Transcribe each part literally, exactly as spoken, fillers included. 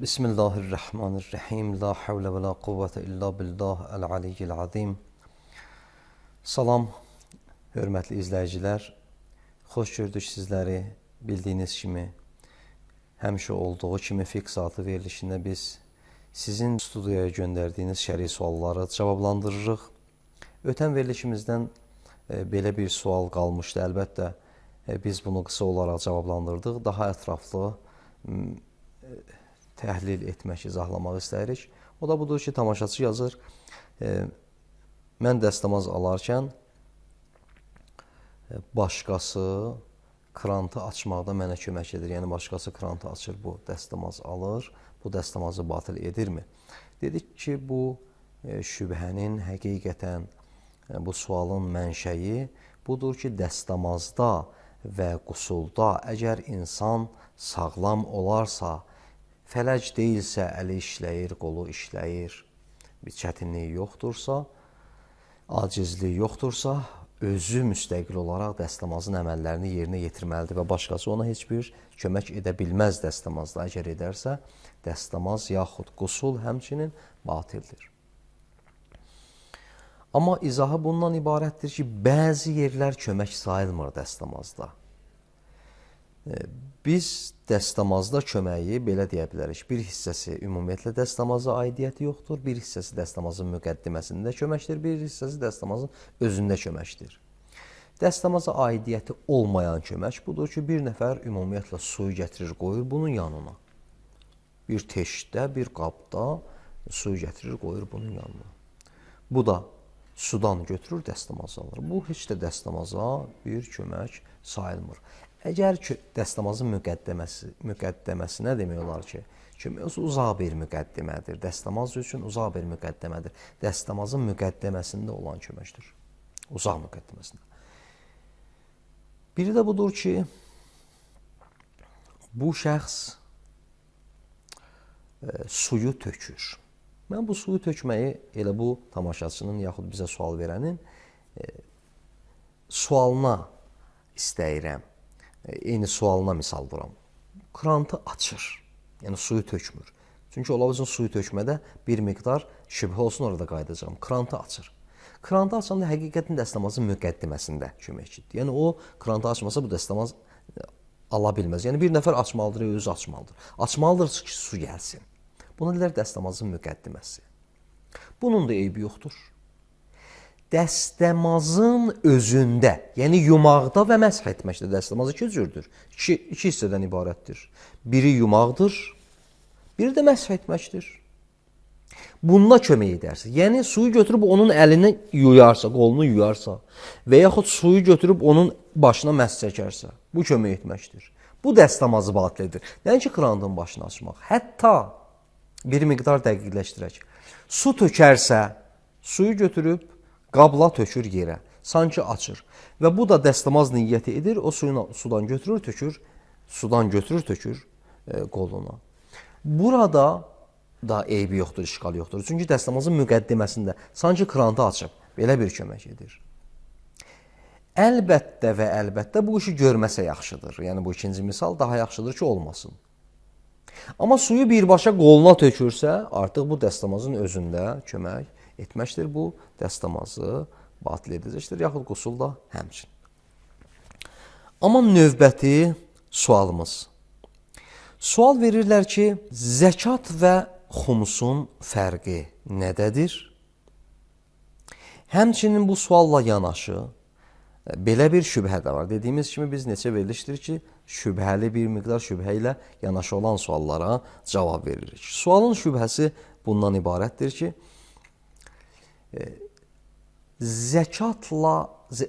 Bismillahirrahmanirrahim. La havle və la quvvətə illa billah əl-aliyyil azim. Salam, hörmətli izləyicilər. Xoş gördük sizləri. Bildiyiniz kimi, həmişə olduğu kimi fiqh saatı verilişində biz sizin studiyaya göndərdiyiniz şəri sualları cavablandırırıq. Ötən verilişimizdən e, belə bir sual qalmışdı. Əlbəttə, e, biz bunu qısa olaraq cavablandırdıq. Daha ətraflı e, təhlil etmək, izahlamaq istəyirik. O da budur ki, tamaşaçı yazır, e, mən dəstəmaz alarkən e, başqası krantı açmaqda mənə kömək edir. Yəni, başqası krantı açır, bu dəstəmaz alır, bu dəstəmazı batil edirmi? Dedik ki, bu e, şübhənin həqiqətən, e, bu sualın mənşəyi budur ki, dəstəmazda və qusulda əgər insan sağlam olarsa, fələc deyilsə, əli işləyir, qolu işləyir, bir çətinliyi yoxdursa, acizliyi yoxdursa, özü müstəqil olaraq dəstəmazın əməllərini yerinə yetirməlidir və başqası ona heç bir kömək edə bilməz dəstəmazda. Əgər edərsə, dəstəmaz yaxud qusul həmçinin batildir. Amma izahı bundan ibarətdir ki, bəzi yerlər kömək sayılmır dəstəmazda. Biz dəstəmazda köməyi belə deyə bilərik. Bir hissəsi ümumiyyətlə dəstəmaza aidiyyəti yoxdur, bir hissəsi dəstəmazın müqəddiməsində köməkdir, bir hissəsi dəstəmazın özündə köməkdir. Dəstəmaza aidiyyəti olmayan kömək budur ki, bir nəfər ümumiyyətlə suyu gətirir, qoyur bunun yanına. Bir teşdə, bir qabda suyu gətirir, qoyur bunun yanına. Bu da sudan götürür, dəstəmazı alır. Bu heç də dəstəmaza bir kömək sayılmır. Əgər ki, dəstəmazın müqəddəməsi, müqəddəməsi nə demək olar ki? Kömək uzaq bir müqəddimədir. Dəstəmaz üçün uzaq bir müqəddəmədir. Dəstəmazın müqəddəməsində olan köməkdir. Uzaq müqəddəməsində. Biri də budur ki, bu şəxs e, suyu tökür. Mən bu suyu tökməyi elə bu tamaşaçının yaxud bizə sual verənin e, sualına istəyirəm. Eyni sualına misal vuram. Krantı açır, yəni suyu tökmür. Çünki ola bilsin suyu tökmədə bir miqdar şübhə olsun, orada qayıdacağım. Krantı açır. Krantı açanda həqiqətin dəstəmazın müqəddiməsində köməkçidir. Yəni o krantı açmasa bu dəstəmaz ala bilməz. Yəni bir nəfər açmalıdır, özü açmalıdır. Açmalıdır ki, su gəlsin. Buna deyilər dəstəmazın müqəddiməsi. Bunun da eybi yoxdur. Dəstəmazın özündə, yəni yumaqda və məsh etməkdə dəstəmaz iki cürdür. İki, iki hissədən ibarətdir. Biri yumaqdır, biri də məsh etməkdir. Bununla kömək edərsə, yəni suyu götürüb onun əlini yuyarsa, qolunu yuyarsa və yaxud suyu götürüb onun başına məsh çəkərsə, bu kömək etməkdir. Bu dəstəmazı batil edir. Nəinki krantın başını açmaq. Hətta bir miqdar dəqiqləşdirək. Su tökərsə, suyu götürüb qabla tökür yerə, sanki açır. Və bu da dəstəmaz niyyəti edir, o suyunu sudan götürür, tökür, sudan götürür, tökür e, qoluna. Burada da eybi yoxdur, işqal yoxdur. Çünki dəstəmazın müqəddiməsində sanki krantı açıb, belə bir kömək edir. Əlbəttə və əlbəttə bu işi görməsə yaxşıdır. Yəni bu ikinci misal daha yaxşıdır ki, olmasın. Amma suyu birbaşa qoluna tökürsə, artıq bu dəstəmazın özündə kömək etməkdir, bu dəstəmazı batil edəcəkdir, yaxud qusul da həmçin. Amma növbəti sualımız. Sual verirlər ki, zəkat və xumsun fərqi nədədir? Həmçinin bu sualla yanaşı, belə bir şübhə də var. Dediyimiz kimi biz neçə verilişdir ki, şübhəli bir miqdar şübhə ilə yanaşı olan suallara cavab veririk. Sualın şübhəsi bundan ibarətdir ki, zəkatla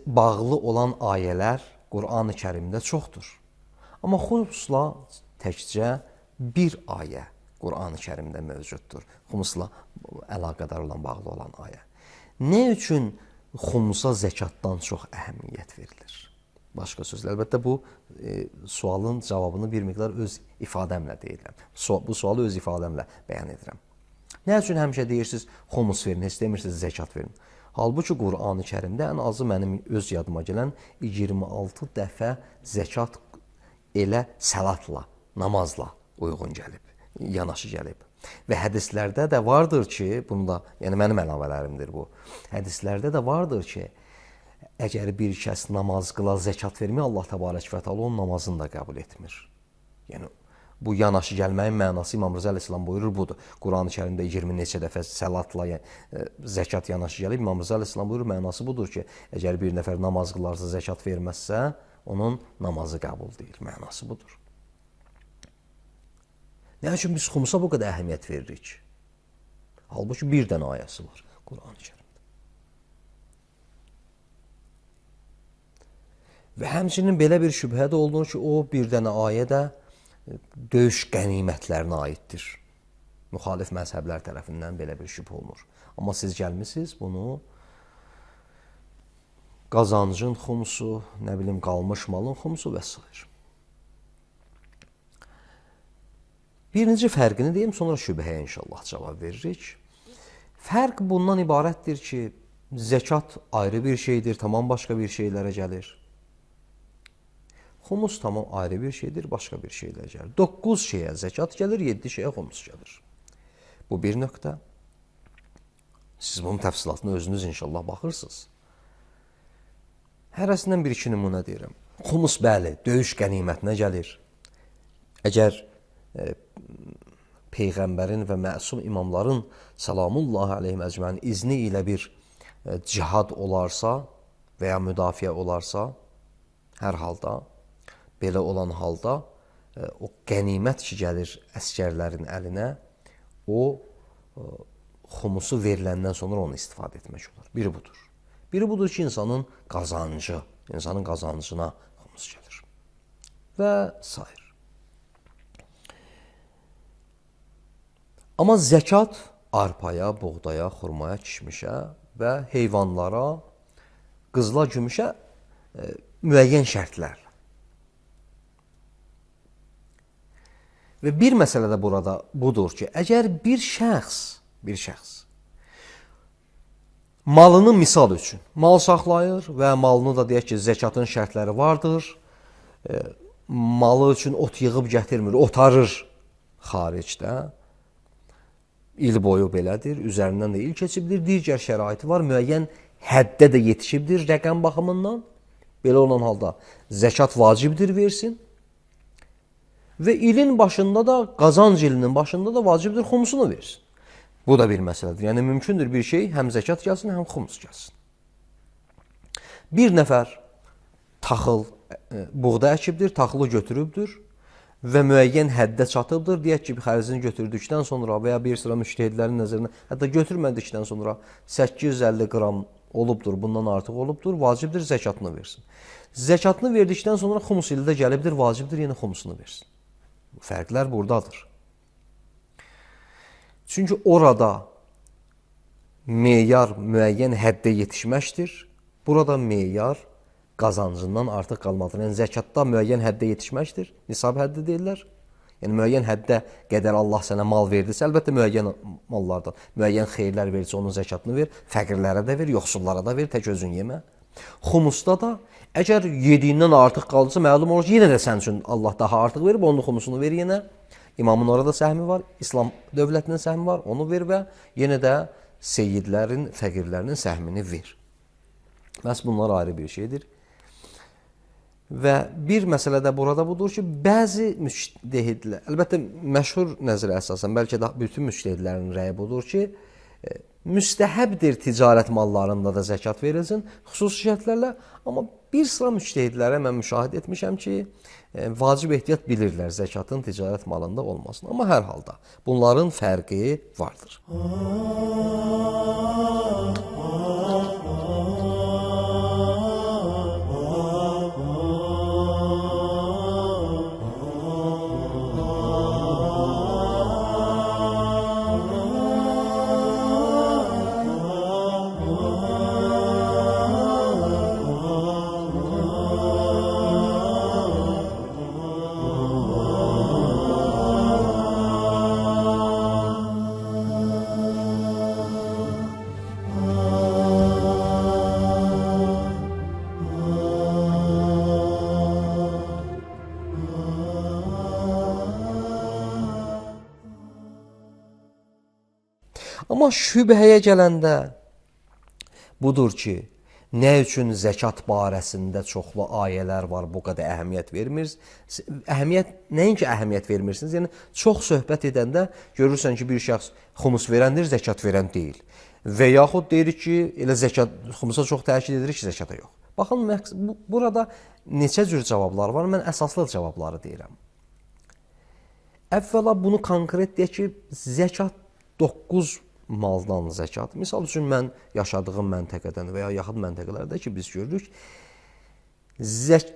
bağlı olan ayələr Qur'an-ı Kərimdə çoxdur. Amma xumusla təkcə bir ayə Qur'an-ı Kərimdə mövcuddur. Xumusla əlaqədar olan, bağlı olan ayə. Nə üçün xumusa zəkatdan çox əhəmiyyət verilir? Başqa sözlə, əlbəttə bu e, sualın cavabını bir miqdar öz ifadəmlə deyirəm. Su bu sualı öz ifadəmlə bəyan edirəm. Nə üçün həmişə deyirsiniz, xumus verin, heç demirsiniz, zəkat verin? Halbuki Qur'an-ı Kərimdə ən azı mənim öz yadıma gələn iyirmi altı dəfə zəkat elə səlatla, namazla uyğun gəlib. yanaşı gəlib. Və hədislərdə də vardır ki, bunu da, yəni mənim əlavələrimdir bu. Hədislərdə də vardır ki, əgər bir kəs namaz qıla, zəkat vermir, Allah təbarək və təala onun namazını da qəbul etmir. Yəni bu yanaşı gəlməyin mənası İmam Rza əleyhissalam buyurur budur. Quran-ı Kərimdə iyirmi neçə dəfə səlatla yəni, zəkat yanaşı gəlib. İmam Rza əleyhissalam buyurur, mənası budur ki, əgər bir nəfər namaz qılarsa, zəkat verməzsə, onun namazı qəbul deyil. Mənası budur. Nə üçün biz xumusa bu qədər əhəmiyyət veririk? Halbuki bir dənə ayəsi var Quran-ı Kərimdə. Və həmçinin belə bir şübhə də olunur ki, o bir dənə ayə də döyüş qənimətlərinə aiddir. Müxalif məzhəblər tərəfindən belə bir şübhə olunur. Amma siz gəlmisiniz bunu qazancın xumusu, nə bilim qalmış malın xumusu və s. Birinci fərqini deyim, sonra şübhəyə inşallah cavab veririk. Fərq bundan ibarətdir ki, zəkat ayrı bir şeydir, tamam başqa bir şeylərə gəlir. Xumus tamam ayrı bir şeydir, başqa bir şeylərə gəlir. Doqquz şeyə zəkat gəlir, yeddi şeyə xumus gəlir. Bu bir nöqtə. Siz bunun təfsilatına özünüz inşallah baxırsınız. Hərəsindən bir iki nümunə deyirəm. Xumus bəli, döyüş qənimətinə gəlir. Əgər e, Peyğəmbərin və məsum imamların salamullahi aleyhim əcməin izni ilə bir e, cihad olarsa və ya müdafiə olarsa, hər halda, belə olan halda e, o qənimət ki gəlir əskərlərin əlinə, o e, xumusu veriləndən sonra onu istifadə etmək olur. Biri budur. Biri budur ki, insanın qazancı, insanın qazancına xumus gəlir. Və s. Amma zəkat arpaya, buğdaya, xurmaya, kişmişə və heyvanlara, qızla, gümüşə e, müəyyən şərtlər. Və bir məsələ də burada budur ki, əgər bir şəxs, bir şəxs malını misal üçün mal saxlayır və malını da deyək ki, zəkatın şərtləri vardır, e, malı üçün ot yığıb gətirmir, otarır xaricdə, il boyu belədir, üzərindən də il keçibdir, digər şəraiti var, müəyyən həddə də yetişibdir rəqəm baxımından. Belə olan halda zəkat vacibdir versin və ilin başında da, qazanc ilinin başında da vacibdir xumusunu versin. Bu da bir məsələdir. Yəni, mümkündür bir şey həm zəkat gəlsin, həm xumus gəlsin. Bir nəfər taxıl, buğda əkibdir, taxılı götürübdür və müəyyən həddə çatıbdır. Deyək ki, xərzini götürdükdən sonra və ya bir sıra müştəhidlərin nəzərinə, hətta götürmədikdən sonra səkkiz yüz əlli qram olubdur, bundan artıq olubdur, vacibdir zəkatını versin. Zəkatını verdikdən sonra xumus ili də gəlibdir, vacibdir yenə xumusunu versin. Fərqlər buradadır. Çünki orada meyar müəyyən həddə yetişməkdir. Burada meyar qazancından artıq qalmadır. Yəni, zəkatda müəyyən həddə yetişməkdir. Nisab həddi deyirlər. Yəni, müəyyən həddə qədər Allah sənə mal verdirsə, əlbəttə müəyyən mallardan, müəyyən xeyirlər verirsə, onun zəkatını ver, fəqirlərə də ver, yoxsullara da ver, tək özün yemə. Xumusda da, əgər yediyindən artıq qalırsa, məlum olur ki, yenə də sən üçün Allah daha artıq verib, onun xumusunu ver yenə. İmamın orada səhmi var, İslam dövlətinin səhmi var, onu ver və yenə də seyyidlərin, fəqirlərinin səhmini ver. Məhz bunlar ayrı bir şeydir. Və bir məsələ də burada budur ki, bəzi müctəhidlər, əlbəttə məşhur nəzərə əsasən, bəlkə də bütün müctəhidlərin rəyi budur ki, müstəhəbdir ticarət mallarında da zəkat verilsin, xüsusi şərtlərlə, amma bir sıra müctəhidlərə mən müşahidə etmişəm ki, vacib ehtiyat bilirlər zəkatın ticarət malında olmasın. Amma hər halda bunların fərqi vardır. Oh Amma şübhəyə gələndə budur ki, nə üçün zəkat barəsində çoxlu ayələr var, bu qədər əhəmiyyət vermirsiniz? Əhəmiyyət, nəinki əhəmiyyət vermirsiniz, yəni çox söhbət edəndə görürsən ki, bir şəxs xumus verəndir, zəkat verən deyil. Və yaxud deyirik ki, elə zəkat, xumusa çox təkid edirik ki, zəkata yox. Baxın, bu, burada neçə cür cavablar var, mən əsaslı cavabları deyirəm. Əvvəla bunu konkret deyək ki, zəkat doqquz maldan zəkat. Misal üçün, mən yaşadığım məntəqədən və ya yaxın məntəqələrdə ki, biz görürük,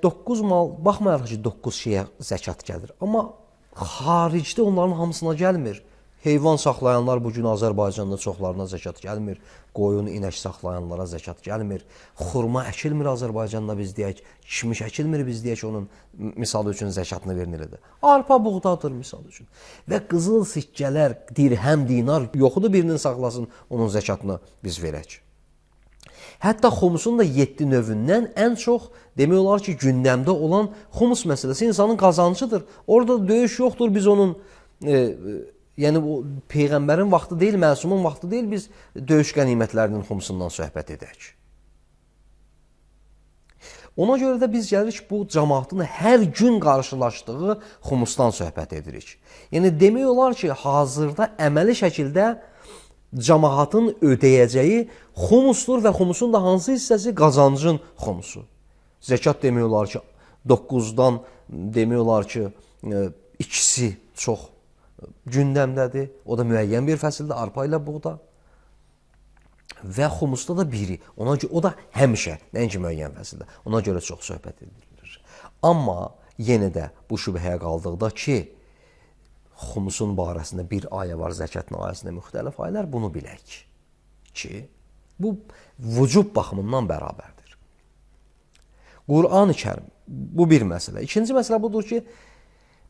doqquz mal, baxmayaraq ki, doqquz şeyə zəkat gəlir. Amma xaricdə onların hamısına gəlmir. Heyvan saxlayanlar bugün Azərbaycanda çoxlarına zəkat gəlmir. Qoyun, inək saxlayanlara zəkat gəlmir. Xurma əkilmir Azərbaycanda biz deyək. Kişmiş əkilmir biz deyək onun misal üçün zəkatını verilirdi. Arpa buğdadır misal üçün. Və qızıl sikkələr, dirhəm, dinar yoxudur birinin saxlasın, onun zəkatını biz verək. Hətta xumusun da yeddi növündən ən çox demək olar ki, gündəmdə olan xumus məsələsi insanın qazancıdır. Orada döyüş yoxdur, biz onun e, yəni o Peyğəmbərin vaxtı deyil, məsumun vaxtı deyil, biz döyüş qənimətlərinin xumusundan söhbət edək. Ona görə də biz gəlirik bu cəmaatın hər gün qarşılaşdığı xumusdan söhbət edirik. Yəni demək olar ki, hazırda əməli şəkildə cəmaatın ödəyəcəyi xumusdur və xumusun da hansı hissəsi? Qazancın xumusu. Zəkat demək olar ki, doqquzdan demək olar ki, ikisi çox gündəmdədir. O da müəyyən bir fəsildə arpa ilə buğda. Və xumusda da biri. Ona görə, o da həmişə, nəinki müəyyən fəsildə. Ona görə çox söhbət edilir. Amma yenə də bu şübhəyə qaldıqda ki, xumusun barəsində bir ayə var, zəkatın ayəsində müxtəlif ayələr, bunu bilək ki, bu vücub baxımından bərabərdir. Qur'an-ı Kərim, bu bir məsələ. İkinci məsələ budur ki,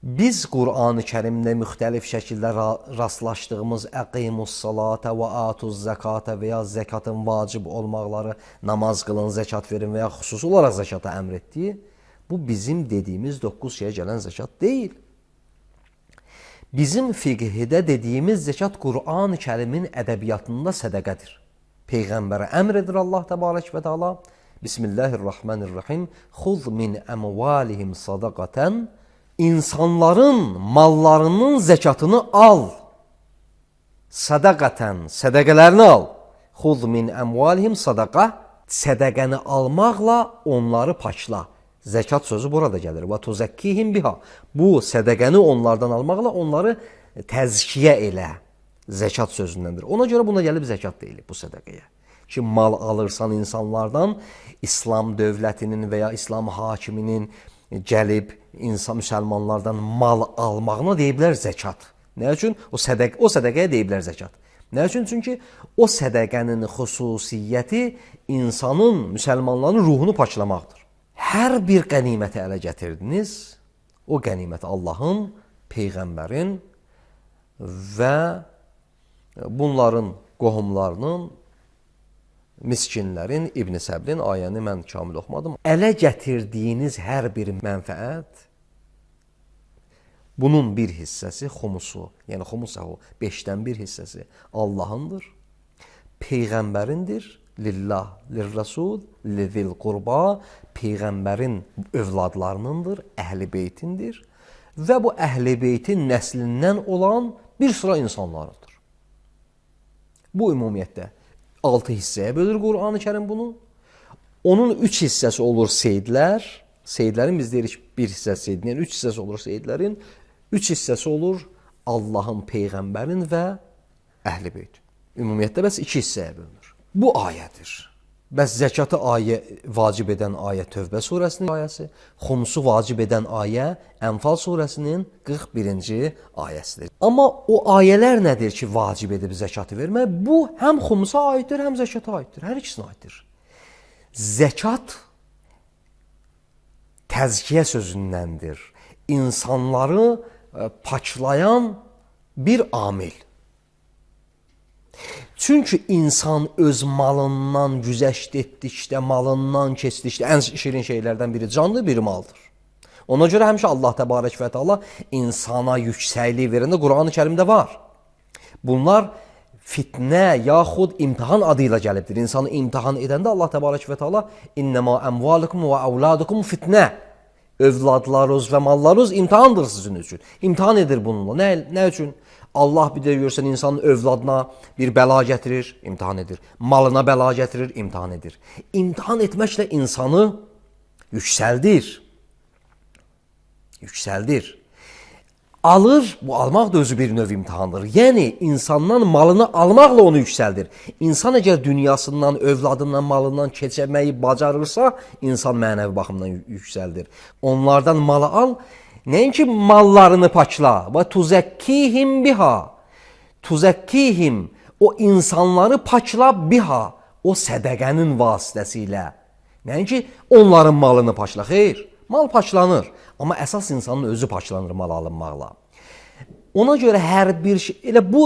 biz Qur'an-ı Kərimdə müxtəlif şəkildə rastlaşdığımız əqimus salata və atuz zəkata və ya zəkatın vacib olmaqları, namaz qılın, zəkat verin və ya xüsusi olaraq zəkata əmr etdiyi, bu bizim dediyimiz doqquz şeyə gələn zəkat deyil. Bizim fiqhidə dediyimiz zəkat Qur'an-ı Kərimin ədəbiyyatında sədəqədir. Peyğəmbərə əmr edir Allah təbarək və təala. Bismillahirrahmanirrahim. Xuz min əmvalihim sadaqatan. İnsanların mallarının zəkatını al. Sadaqatan, sədəqələrini al. Xuz min əmvalihim sadaqa. Sədəqəni almaqla onları paçla. Zəkat sözü burada gəlir. Və tuzakkihim biha. Bu sədəqəni onlardan almaqla onları təzkiyə elə. Zəkat sözündəndir. Ona görə buna gəlib zəkat deyilir bu sədəqəyə. Ki, mal alırsan insanlardan, İslam dövlətinin və ya İslam hakiminin gəlib insan müsəlmanlardan mal almağına deyiblər zəkat. Nə üçün? O, sədəq, o sədəqəyə deyiblər zəkat. Nə üçün? Çünki o sədəqənin xüsusiyyəti insanın, müsəlmanların ruhunu paçlamaqdır. Hər bir qəniməti ələ gətirdiniz, o qənimət Allahın, Peyğəmbərin və bunların qohumlarının, miskinlərin, İbn Səbrin, ayəni mən kamil oxumadım. Ələ gətirdiyiniz hər bir mənfəət, bunun bir hissəsi xumusu, yəni xumus o beşdən bir hissəsi Allahındır, Peyğəmbərindir, lillah, lirrasul, lizil qurba, Peyğəmbərin övladlarınındır, əhl-i beytindir və bu əhl-i beytin nəslindən olan bir sıra insanlarıdır. Bu ümumiyyətdə altı hissəyə bölür Qur'an-ı Kərim bunu. Onun üç hissəsi olur seydlər. Seydlərin biz deyirik bir hissəsi seydlərin, üç hissəsi olur seydlərin. Üç hissəsi olur Allahın, Peyğəmbərin və əhl-i beyt. Ümumiyyətdə bəs iki hissəyə bölünür. Bu ayədir. Bəs zəkatı ayə, vacib edən ayə Tövbə surəsinin ayəsi, xumusu vacib edən ayə Ənfal surəsinin qırx birinci ayəsidir. Amma o ayələr nədir ki, vacib edib zəkatı vermək? Bu həm xumusa aiddir, həm zəkata aiddir. Hər ikisinə aiddir. Zəkat təzkiyə sözündəndir. İnsanları paçlayan bir amil. Çünki insan öz malından güzəşt etdikdə, malından keçdikdə, ən şirin şeylərdən biri canlı bir maldır. Ona görə həmişə Allah təbarək və təala insana yüksəklik verəndə Qur'an-ı Kərimdə var. Bunlar fitnə yaxud imtahan adı ilə gəlibdir. İnsanı imtahan edəndə Allah təbarək və təala innəmə əmvalukum və əvladukum fitnə. Övladlarınız və mallarınız imtahandır sizin üçün. İmtahan edir bununla. Nə, nə üçün? Allah bir də görsən insanın övladına bir bəla gətirir, imtahan edir. Malına bəla gətirir, imtahan edir. İmtahan etməklə insanı yüksəldir. Yüksəldir. Alır, bu almaq da özü bir növ imtahandır. Yəni, insandan malını almaqla onu yüksəldir. İnsan əgər dünyasından, övladından, malından keçəməyi bacarırsa, insan mənəvi baxımdan yüksəldir. Onlardan malı al, nəinki mallarını paçla. Və tuzekkihim biha. Tuzekkihim, o insanları paçla biha. O sədəqənin vasitəsilə. Nəinki onların malını paçla. Xeyr, mal paçlanır. Amma əsas insanın özü paçlanır mal alınmaqla. Ona görə hər bir şey, elə bu,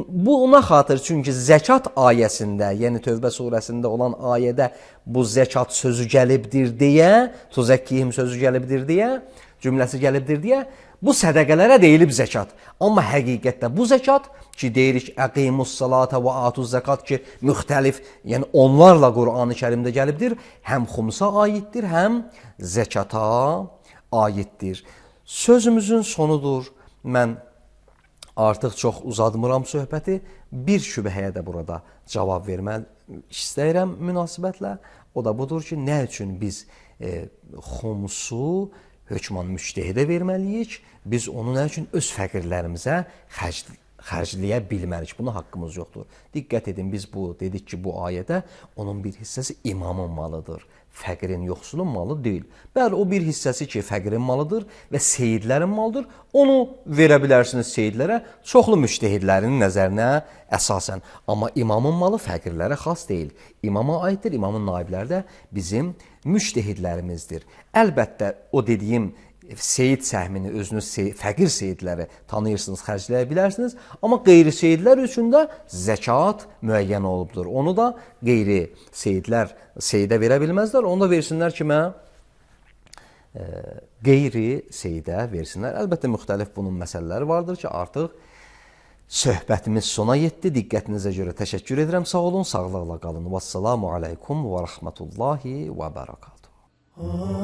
bu ona xatır, çünki zəkat ayəsində, yəni Tövbə surəsində olan ayədə bu zəkat sözü gəlibdir deyə, tuzekkihim sözü gəlibdir deyə, cümləsi gəlibdir deyə, bu sədəqələrə deyilib zəkat. Amma həqiqətdə bu zəkat ki, deyirik, əqimus salata və atuz zəkat ki, müxtəlif, yəni onlarla Qur'an-ı Kərimdə gəlibdir, həm xumsa aiddir, həm zəkata aiddir. Sözümüzün sonudur. Mən artıq çox uzadmıram söhbəti. Bir şübhəyə də burada cavab vermək istəyirəm münasibətlə. O da budur ki, nə üçün biz e, xumsu hökman müştehidə verməliyik? Biz onu nə üçün öz fəqirlərimizə xərc, xərcləyə bilmərik? Buna haqqımız yoxdur. Diqqət edin, biz bu dedik ki, bu ayədə onun bir hissəsi imamın malıdır. Fəqirin, yoxsulun malı deyil. Bəli, o bir hissəsi ki, fəqirin malıdır və seyidlərin malıdır. Onu verə bilərsiniz seyidlərə, çoxlu müştehidlərin nəzərinə əsasən. Amma imamın malı fəqirlərə xas deyil. İmama aiddir, imamın naibləri də bizim müştehidlərimizdir. Əlbəttə, o dediyim seyid səhmini, özünüz sey fəqir seyidləri tanıyırsınız, xərcləyə bilərsiniz. Amma qeyri seyidlər üçün də zəkat müəyyən olubdur. Onu da qeyri seyidlər seyidə verə bilməzlər. Onu da versinlər kimə? E, qeyri seyidə versinlər. Əlbəttə, müxtəlif bunun məsələləri vardır ki, artıq söhbətimiz sona yetdi. Diqqətinizə görə təşəkkür edirəm. Sağ olun, sağlıqla qalın. Vəssalamu aleykum və rəhmətullahi və bərəkatuhu.